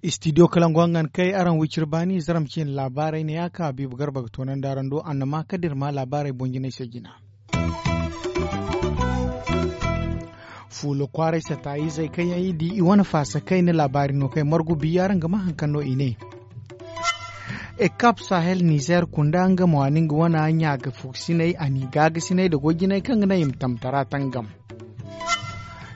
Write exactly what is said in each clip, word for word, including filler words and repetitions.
Istidiyo kalangu hangan kay araŋ wiciri baani zaram ciine laabaarey ne ya ka habiibu garba ga toonandi araŋ do annama kala da iri ma laabaarey boŋ jinay se jina. Fuula kwaaray sataayizey kaŋ yaŋ i di i wane faasa kayna laabaari no kay margu biya araŋ ga ma haŋ kaŋ no i ne. Ekap sahel nizer kunda nga mo a na nga wana ɲaaga fuksiney a n'i gaagasiney nda goy jinay kaŋ ga naŋ i ma tamtara tangam.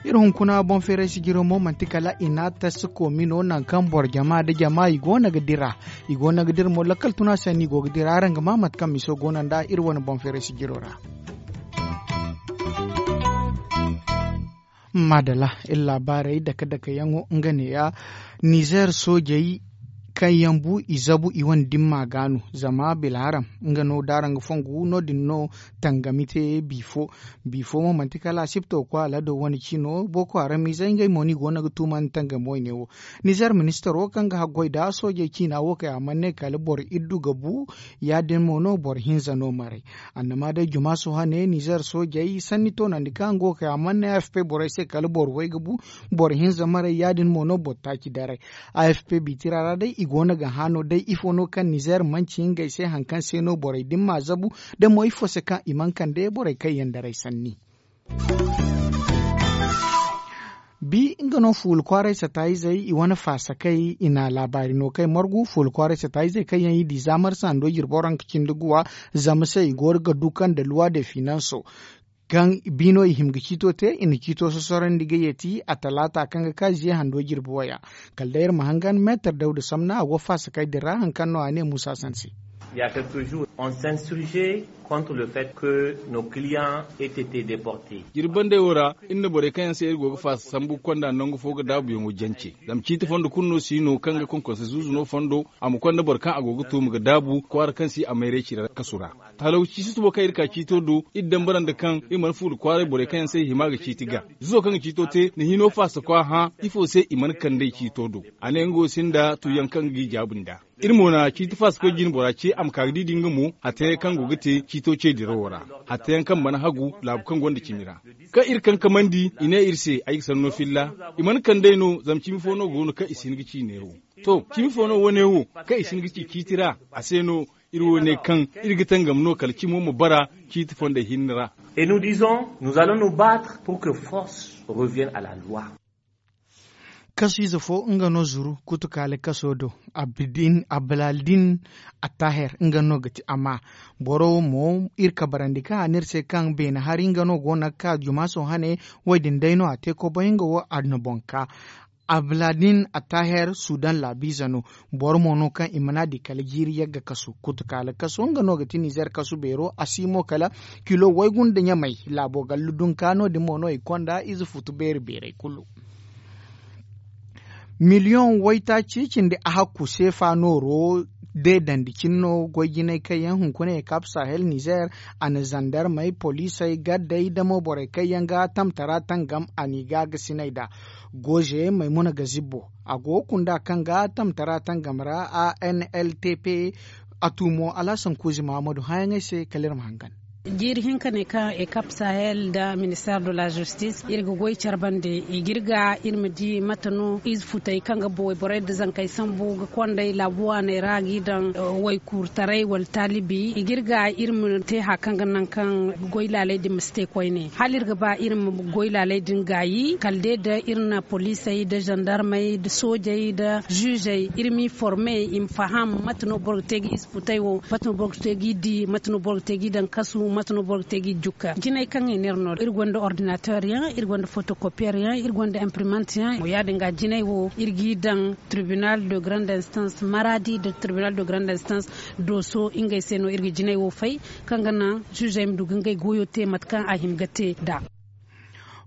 Iri hunkuna boŋ feeray sijiro mo manti kala i n'a tasi koomi no nangu kaŋ boro jama nda jama i go no ga dira. I go no ga dira mo lakkal tuna se no i go ga dira araŋ ga ma mate kaŋ miso go no nd'a iri wane boŋ feeray sijiro ra. Maadala, iri laabaarey dake dake yaŋo nga neeya. Nizer soojey kaŋ yaŋ bu i zabu i wane dimma ga no zama bilharam nga no da araŋ ga fongu no- din no tangami te. Bifo bifo mo manti kala asipto kwaala do wane cino boko haram izey ngey mo no i go no ga tuumandi tangami wayne wo. Nizer ministaro kaŋ ga haggoy nda soojey ciina wo kay a mana ne kala boro iddu ga bu. Ya- din mo no boro hinza no maray. Annama day juma sohã ne nizer soojey sanni toonandi kaŋ a go ga kay a mana ne afp borey se kala boro way ga bu. Boro hinza maray ya- din mo no boro taaci daray. Afp biitira ra day i go no ga hã no day ifo no kaŋ nizer manci ngey se hari kaŋ se no borey din m'a zabu. Da mo ifo se kaŋ i mana kande borey kaŋ yaŋ daray sanni. Bi nga no fuula kwaaray sataayizey i wane faasakey i na laabaari no kay margu fuula kwaaray sataayizey kaŋ yaŋ i di za marsa hando jirbi waranka cindi guwa. Zama se i go ga du kaŋ nda luwa de finanso kaŋ bi no i hima ga ciito te i na ciito sosorandi ga yeeti a talaata kaŋ ga ka ziye hando jirbi waya. Kala day iri ma hangan meetar dawda samna a go faasakey din ra hari kaŋ no a ne muusa sanse. Ya quelque jours on s'insurge contre le fait que nos clients aient été déportés. Jirbi bandey wo ra iri na borey kaŋ yaŋ se iri go ga faasa sambu ga konda nangu fo ga daabuyaŋo jance. Zama ciiti fondo kulu no si no kaŋ ga konkonse zuuzu no fondo a ma konda boro kaŋ a go ga tuuma ga daabu kwaara kaŋ si a mayray cire kasu ra. Talawci susubo kaŋ iri ka ciito do iri dambarandi kaŋ iri mana fuula kwaaray borey kaŋ yaŋ se i hima ga ciiti ga. Zuzo kaŋ ga ciito te na hino faasa kwa hã ifo se i mana kand'ey ciito do? A ne nga wo sinda tuuyaŋ kaŋ g'i jaabu nd'a. Iri mo na ciiti faasa koy jine bora ce a ma ka ga di da nga mo hatta yaŋ kaŋ go ga te ciito ce dirawo ra. Hatta yaŋ kaŋ mana hagu laabu kaŋ gonda cimi ra. Kaŋ iri kankamandi i ne iri se ay ga sanno filla. I mana kand'ey no zama cimi fo no go no kaŋ i si hin ga ci neewo. To cimi fo no wane wo kaŋ i si hin ga ci ciiti ra a se no. Iri wo ne kaŋ iri ga tangam no kala cimo ma bara ciiti fondey hinne ra. Et nous disons nous allons nous battre pour que force revienne à la loi. Kasu ize fo nga no zuru kutukaali kaso do. Abdin ablaaldin attaher nga no ga ti amma boro mo iri kabarandi kaŋ a ne iri se kaŋ beene hari nga no go no ga ka juma sohã ne. Wo- din day no a te kobay nga wo a na boŋ ka. Abladin attaher sudan laabiize no. Boro mo no kaŋ i mana di kala jiiri yagga kasu kutukaali kaso nga no ga ti nizer kasu beero a si mo kala kilo waygu nda ɲamay. Laabo gallu dunka no- din mo no i konda ize futu beeri beerey kulu. Miliyoŋ waytaaci cindi a hakku seefa nooro deedandi cine no goy jinay kaŋ yaŋ hunkuna ekap sahel nizer a na zandarmey poliisey gaddey da mo borey kaŋ yaŋ ga tamtara tangam a n'i ga ga sinay nd'a. Goze maymuna ga zibbo a go ga kunda kaŋ ga tamtara tangam ra a n l t p. A tu mo alhasan kuuzi mahamadu hãyaŋey se kala iri ma hangan. Jiiri hinka ne kaŋ ekap sahel nda minister de la justice iri ga goy care bande i ga iri ga iri ma di mate no ize futey kaŋ ga wayborey nda zankey sambu ga kondey laabu waaney ra ga i daŋ waykuurtaray wala taalibi i ga iri ga iri ma te hari kaŋ ga naŋ kaŋ goy laaley din ma si te koyne hala iri ga ba iri ma goy laaley din gaayi kala day nda iri na poliisey nda zandarmey nda soojey nda ziizey iri m'i forme i ma faham mate no boro ga te ga ize futey wo mate no boro ga te g'i di mate no boro ga te g'i daŋ kasu mate no boro ga te g'i jukka jinay kaŋ i ne iri no iri gonda ordinateur yaŋ iri gonda photocopier yaŋ iri gonda imprimante yaŋ ya- din ga jinay wo iri g'i daŋ tribunal de grande instance maradi nda tribunal de grande instance dooso ngey se no iri ga jinay wo fay kaŋ ga naŋ ziizey ma du ga ngey goyo te mate kaŋ a hima ga te nd'a.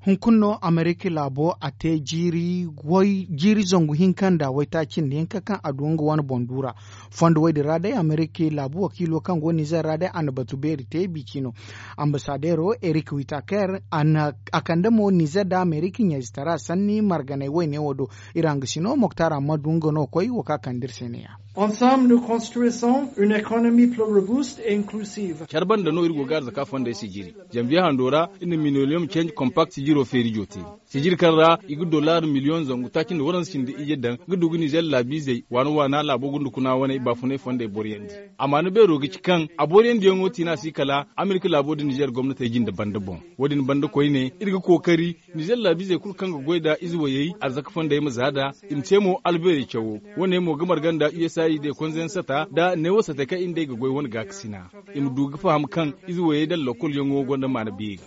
Hunkuna no amerika laabo a te jiiri zangu hinka nda waytaaci nda hinka kaŋ a du nga wane boŋ duura. Fondo wo- din ra day amerika laabu wakiilo kaŋ go nizer ra day a na batu beeri te bici no. Ambasadeero erik witaker a kande mo nizer nda amerika ɲayzitara sanni marganey wayne wo do. Iri hangasi no moktar ammadu nga no koy wo kaŋ a kande iri se ne- ya. Ensemble nous construisons une économie plus robuste et inclusive. Care banda no iri go ga arzaka fondey sijiri. Janvier hando ra iri na minolium change compact sijiro feeri jooti. Sijiri kaŋ ra i ga dollar miliyoŋ zangu taaci nda waranza cindi iyye daŋ ga du ga nizer laabiizey waana waana laabo gundukuna wane baafunay fondey boriyandi. Amma ni beero ga ci kaŋ a boriyandiyaŋo tiina si kala amerika laabo da nizer gomnatey jinde banda boŋ. Wo- din banda koyne iri ga kookari nizer laabiizey kulu kaŋ ga goy nda ize wayey arzaka fondey ma za nd'a. I ma te mo albeerey cawo. Wo- ne mo ga marga nda usaid konza yaŋ sata nda neewo satey kaŋ iri nd'ey ga goy wane gaakasina. I ma du ga faham kaŋ ize wayey nda lakolyaŋo gonda maana beeri.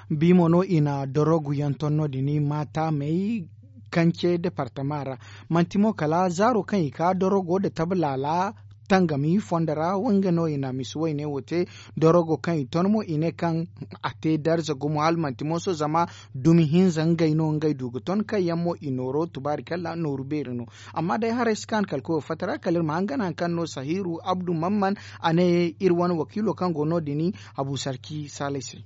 Bi mo no i na dorogu yaŋ ton no- din maata may kance departama ra. Manti mo kala zaaro kaŋ i ka dorogo nda tablaala tangami fondo ra, nga no i na misi wayne wo te. Dorogo kaŋ i ton mo i ne kaŋ a te darza gumo hala manti mooso zama dumi hinza ngey no ngey du ga ton kaŋ yaŋ mo i nooro tubaari kala nooru beeri no. Amma day haray si kaanu kala koyo fatta ra kala iri ma hangan hari kaŋ no sahiru abdu mamman a ne iri wane wakiilo kaŋ go no- din abu sarki saalay se.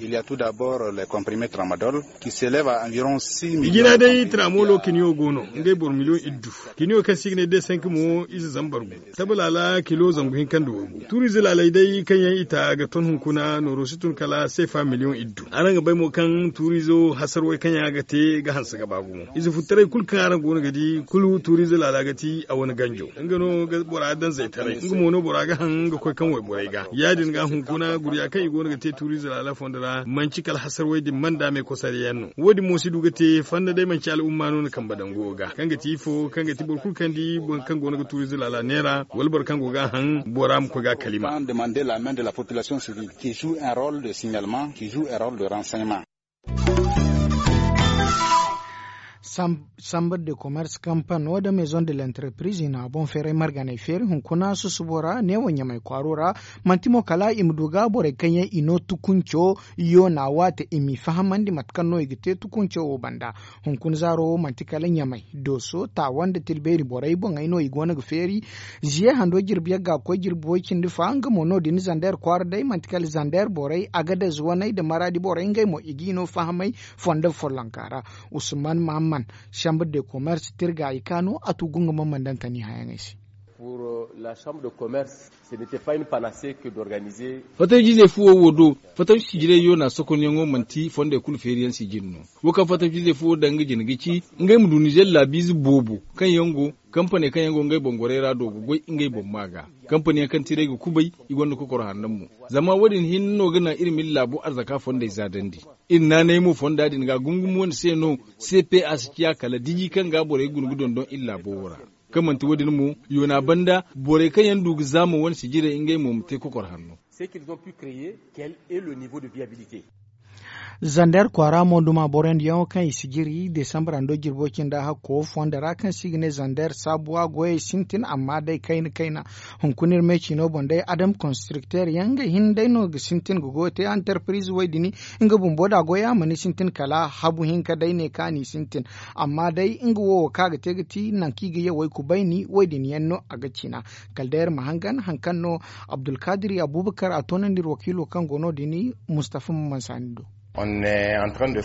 Il y a tout d'abord les comprimés tramadol qui s'élève à environ six millions. Ijina day tramolo kiniyo go no ngey boro miliyoŋ iddu. Kiniyo kaŋ se i ga ne de cinq mo ize zambar gu tabalaala kilo zangu hinka nda waygu tuuriize laaley day kaŋ yaŋ i ta ga ton hunkuna nooro si tun kala seefa miliyoŋ iddu. Araŋ ga bay mo kaŋ tuuriizo hasarwey kaŋ yaŋ a ga te ga hanse ga ba gumo ize futtaray kulu kaŋ araŋ go no ga di kulu tuuriize laala ga ti a wane ganjo. Nga no ga bora daŋ zaytaray nga mo no bora ga haŋ ga koy kaŋ wayborey ga ya- din ga hunkuna gurya kaŋ i go no ga te tuuriize laala fondo ra manci kala hasarwey din manda me kosariyaŋ no. Wo- din mo si du ga te fanda day manci al'umma no na kambe daŋ go ga kaŋ ga ti ifo kaŋ ga ti boro kulu kaŋ di boro kaŋ go no ga tuuriize laala neera wala boro kaŋ go ga a haŋ bora ma koy ga a kalima. Demande la main de la population civile qui joue un rôle de signalement qui joue un rôle de renseignement. Sambre de commerce kampano da maison de l'entreprise i na a boŋ feeray marganay feeri hunkuna susubo ra neewo ɲamay kwaaro ra. Manti mo kala i ma du ga borey kaŋ yaŋ i no tukunco yoona waate i m'i fahamandi mate kaŋ no i ga te tukunco wo banda. Hunkuna zaaro wo manti kala ɲamay dooso taawa nda tilbeeri borey boŋey no i go no ga feeri. Ziye hando jirbi yagga koy jirbi way cindi fa nga mo no- din zander kwaara day manti kala zander borey agadez waney nda maraadi borey ngey mo i g'i no fahamay fondo follonka ra. Usman mahamman chambre de commerce tirga i ka no a tugu nga ma mandantani hayaŋey se. Pour la chambre de commerce ce n'etait pas une panacée que d'organiser. Fatawjizey fuwo wo do fatawci sijirey yo na sokonyaŋo manti fondey kulu feeriyaŋ sijiri no. Wo kaŋ fatawcizey fuwo daŋ nga jine ga ci ngey ma du nizer laabiize boobo kaŋ yaŋ go kampaney kaŋ yaŋ go ngey boŋ gorey ra do ga goy ngey boŋ maa ga. Kampaniyaŋ kaŋ tiray ga kubay i gonda kokoro hanno mo. Zama wo- din hinne no ga naŋ iri ma iri laabo arzaka fondey zaadandi. Iri naanay mo fonda din ga gungum wane se no cpa si ciya kala diji kaŋ ga borey guna ga dondon iri laabo wo ra. Kaŋ manti wo- din mo yoona banda borey kaŋ yaŋ du ga zaama wane sijirey ngey mo ma te kokor hanno. Ce qu'ils ont pu créer quel est le niveau de viabilité? Zander kwaara mo duma boroyandiyaŋo kaŋ i si jiri desambra ndo jirbo cinda hakko fondo ra kaŋ se i ga ne zander saabuwa goyey sintin amma day kayna kayna. Hunkuna iri me ciino boŋ day adam konstrikter yaŋ ngey hinne day no ga sintin ga goyo te antarpiriz way dini. Nga bumbo da goyo a mana sintin kala habu hinka day ne kaŋ a n'i sintin. Amma day nga wo wo kaŋ a ga te ga ti nangu kaŋ i ga ye way kubayni way din yaŋ no a ga cina. Kala day iri ma hangan hari kaŋ no abdulkadir abubakar a toonandi iri wakiilo kaŋ go no din mustafa maman saani do.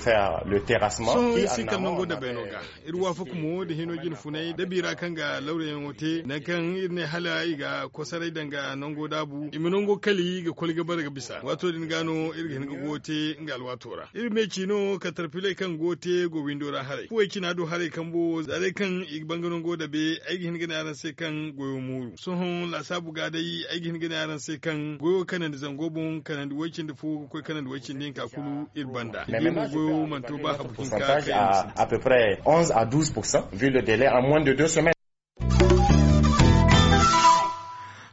Sohõ iri si kala nango dabayno ga. Iri waafaka mo nda hino jine funay da biira kaŋ ga lawrayaŋo te nangu kaŋ iri ne hala i ga kosaray danga nango daabu i ma nango kali ga koli ga bare ga bisa waato din ga no iri ga hin ga goyo te nga alwaato ra. Iri me ciino katarpiley kaŋ go te go windo ra haray fuwey cina do haray kambo za day kaŋ i ga banga nango dabe ay ga hin ga ne araŋ se kaŋ goyo mooru sohõ laasaabu ga day ay ga hin ga ne araŋ se kaŋ goyo kanandi zango boŋ kanandi way cindi fo ga koy kanandi way cindi hinka kulu iri banda. Iri mo goyo mana to ba habu hinka kaŋ yaŋ ga sintin. À peu près onze à douze pour cent vu le délai en moins de deux semaines.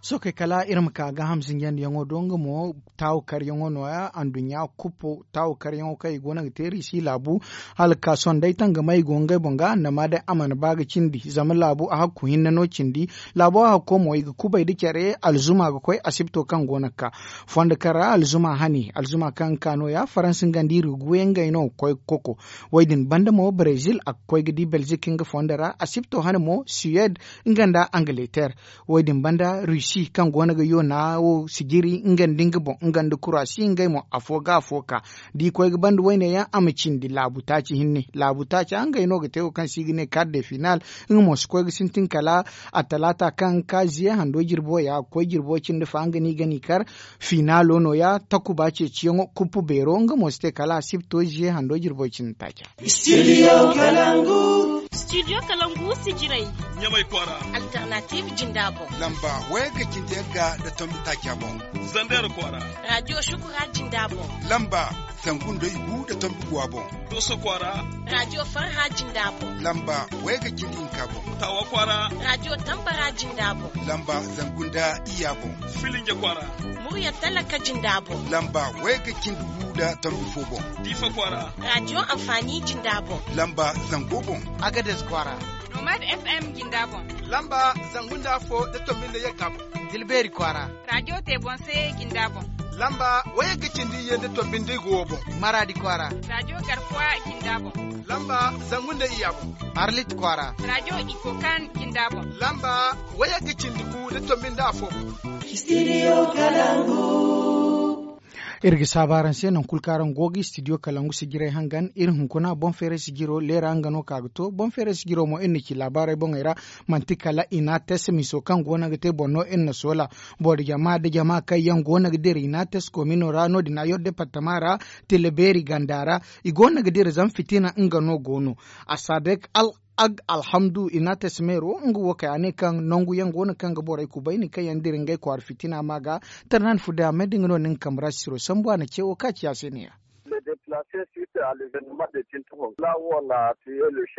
Sookey kala iri ma ka gaaham sinjandiyaŋo do nga mo taawu karyaŋo nooya anduɲɲa kuppo taawu karyaŋo kaŋ i go no ga te riisi laabu. Hala ga ka sohõ day tangamay go ngey boŋ ga annama day a mana ba ga cindi zama laabu a hakku hinne no cindi. Laabo hakko mo i ga kubay nda care alzuma ga koy asibto kaŋ go no ga ka fondo kaŋ ra alzuma hane alzuma kaŋ ga ka nooya faransa nga nda iri ga guuye ngey no ga koy ga koko. Wo- din banda mo brezil a ga koy ga di belzik nga fondo ra asibto hane mo suwed nga nda angleter. Wo- din banda rusi. kaŋ go no ga yoona wo sijiri nga nda nga boŋ nga nda kuraasi ngey mo afo ga afo ka da i koy ga banda wayne yaŋ a ma cindi laabu taaci hinne laabu taaca ngey no ga te wo kaŋ se i ga ne kar de final. Nga mo si koy ga sintin kala attalaata kaŋ ga ka ziye hando jirbo ya ga koy jirbo cindi fa nga no i ga n'i kar. Finaalo no- ya takuba ceeciyaŋo kuppu beero nga mo si te kala a si bi to ziye hando jirbo cindi taaca. Studio kalangu. Studio kalangu sijirey. Ɲamay kwaara. Alternative jinda boŋ. Lamba wayga cindi yagga nda tombi taaca boŋ. Zander kwaara. Radio shukura jinda boŋ. Lamba zangu nda igu nda tombi guwa boŋ. Doso kwaara. Radio farha jinda boŋ. Lamba wayga cindi hinka boŋ. Tawa kwaara. Radio tambara jinda boŋ. Lamba zangu nda iyya boŋ. Filinja kwaara. Murya talaka jinda boŋ. Lamba wayga cindi gu nda tombi fo boŋ. Diifa kwaara. Radio amfani jinda boŋ. Lamba zango boŋ. Agades kwaara. Nomad FM jinda boŋ. Lamba zangu nda afo nda tombi nda yagga boŋ. Tilbeeri kwaara. Radio te boŋ se jinda boŋ. Lamba wayagga cindi iyye nda tombi nda igu wo boŋ. Maraadi kwaara. Radio garkuwa jinda boŋ. Lamba zangu nda iyya boŋ. Arlit kwaara. Radio ikokan jinda boŋ. Lamba wayagga cindi gu nda tombi nda afo boŋ. Studio kalangu. Iri ga saabu araŋ se nangu kulu kaŋ araŋ go ga studio kalangu sijirey hangan iri hunkuna boŋ feeray sijiro leera nga no ka ga to boŋ feeray sijiro mo iri na ci laabaarey boŋey ra. Manti kala inates miso kaŋ go no ga te boŋ no iri na soola. Boro jama nda jama kaŋ yaŋ go no ga dira inates komino ra no- din a yor departama ra. Tila beeri ganda ra i go no ga dira zama fitina nga no go no. Asadek al ag alhamdu inates meero nga wo kay a ne kaŋ nangu yaŋ go no kaŋ ga borey kubayni kaŋ yaŋ dira ngey kwaara fitina ma ga. Tarnan fuda me da nga no ni nga kambe ra sisiro sambu a na ce wo ka ci a se ne- ya.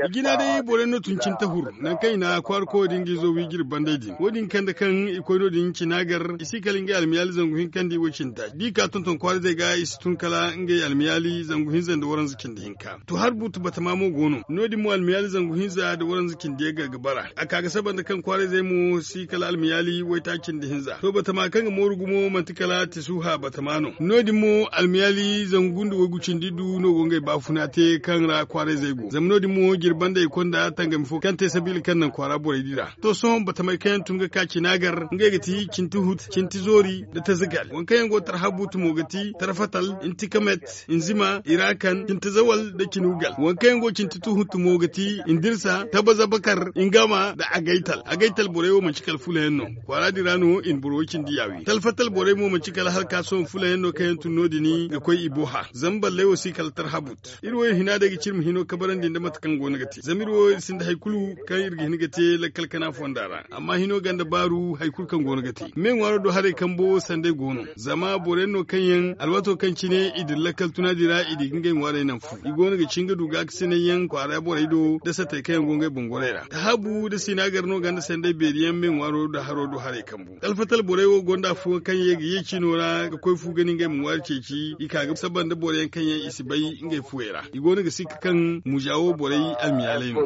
I jina day borey no tun cintahur nangu kaŋ i na kwaara koyo din ga izo wi ga iri bandey din wo- din kande kaŋ i koy no- din cina gar i si kala ngey almiyaali zangu hinkandi wo- cindi taaci da i ka tonton kwaarizey ga i si tun kala ngey almiyaali zangu hinza nda waranza cindi hinka. To har buutu batama mo go no no- din mo almiyaali zangu hinza nda waranza cindi yagga ga bara a ka ga saba nda kaŋ kwaarizey mo si kala almiyaali waytaaci nda hinza to batama kaŋ ga mooru gumo manti kala tisuha batama no. No- din mo almiyaali zangu nda waygu cindi du no go ngey baafuna te kaŋ ra kwaaray zey go zama no- din mo jirba nda i konda tangami fo kaŋ te sabiila kaŋ naŋ kwaara borey di ra. To sohõ batamey kaŋ yaŋ tun ga ka cina gar ngey ga ti cinti hut cinti zoori nda tazagal waŋ kaŋ yaŋ go tarhabutu mo ga ti tarfatal, intikamet, inzima, irakan cinti zawal nda cinugal waŋ kaŋ yaŋ go cinti tuhuntu mo ga ti indirsa tabazabakar ingama nda agaytal agaytal borey wo manci kala fulayaŋ no. Kwaara din ra no i na boro wo cindi yaawi talfatal borey mo manci kala hala ka sohõ fulayaŋ no kaŋ yaŋ tun no- din ga koy i boha zama balley wo si kala tarhabut. Iri wo iri hina day ga ci iri ma hino kabarandi nda mate kaŋ go no ga te zama iri wo iri sinda hari kulu kaŋ iri ga hin ga te lakkal kana fonda ra amma hino ganda baaru hari kulu kaŋ go no ga te me ŋwaaro do haray kambo sanday go no zama boro yaŋ no kaŋ yaŋ alwaato kaŋ cine i dira lakkal tuna din ra i di ga ngey ŋwaarey naŋ fu i go no ga ci nga du gaakasinay yaŋ kwaara borey do nda sattey kaŋ yaŋ go ngey boŋ gorey ra tahabu nda sinagar no ganda sanday beeri yaŋ me ŋwaaro nda haro do haray kambu talfatal borey wo gonda afo kaŋ ye ga ye cino ra ga koy fu ga ni ngey ma ŋwaari ceeci i ka ga saba nda boro yaŋ kaŋ yaŋ i si bay ngey fuwey ra i go no ga sikka kaŋ mujawo borey almiyaaley no.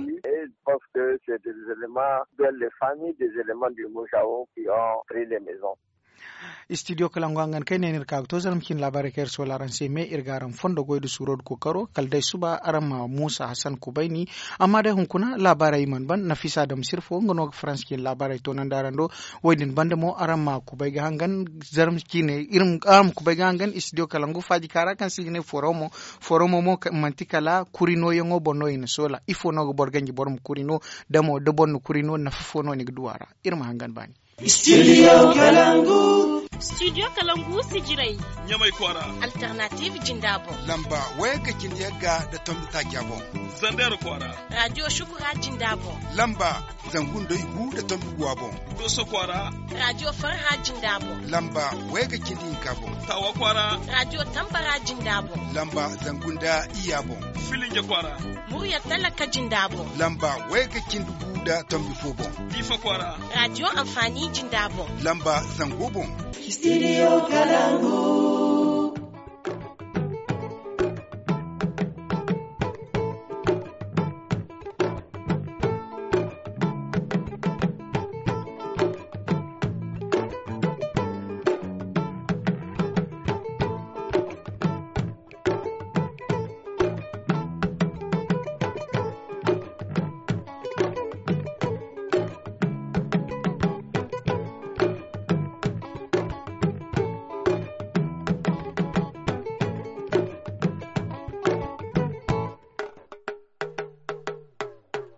Studio kalangu hangan kaŋ ay ne no iri ka ga to zarma cine laabaarey kaŋ iri soola araŋ se me iri ga araŋ fondo goy nda suuro nda kookaro kala day suba araŋ ma muusa hasan kubayni. Amma day hunkuna laabaarey i mana ban nafisa dam sirfo nga no ga faransa cine laabaarey toonandi araŋ do. Wo- din banda mo araŋ ma kubay ga hangan zarma cine araŋ ma kubay ga hangan studio kalangu faaji kaara kaŋ se i ga ne foromo. Foromo mo manti kala kuri nooyaŋo boŋ no i na soola ifo no ga boro ganji boro ma kuri no? Damo da boro na kuri no nafa fo no ni ga du a ra. Iri ma hangan baani. Studio kalangu. Studio kalangu sijirey. Ɲamay kwaara. Alternative jinda boŋ. Lamba wayagga cindi yagga nda tombi taaca boŋ. Zander kwaara. Radio shukura jinda boŋ. Lamba zangu nda igu nda tombi guwa boŋ. Doso kwaara. Radio farha jinda boŋ. Lamba wayagga cindi hinka boŋ. Tawa kwaara. Radio tambara jinda boŋ. Lamba zangu nda iyya boŋ. Filinja kwaara. Murya talaka jinda boŋ. Lamba wayagga cindi gu nda tombi fo boŋ. Diifa kwaara. Radio amfani jinda boŋ. Lamba zango boŋ. Studio kalangu.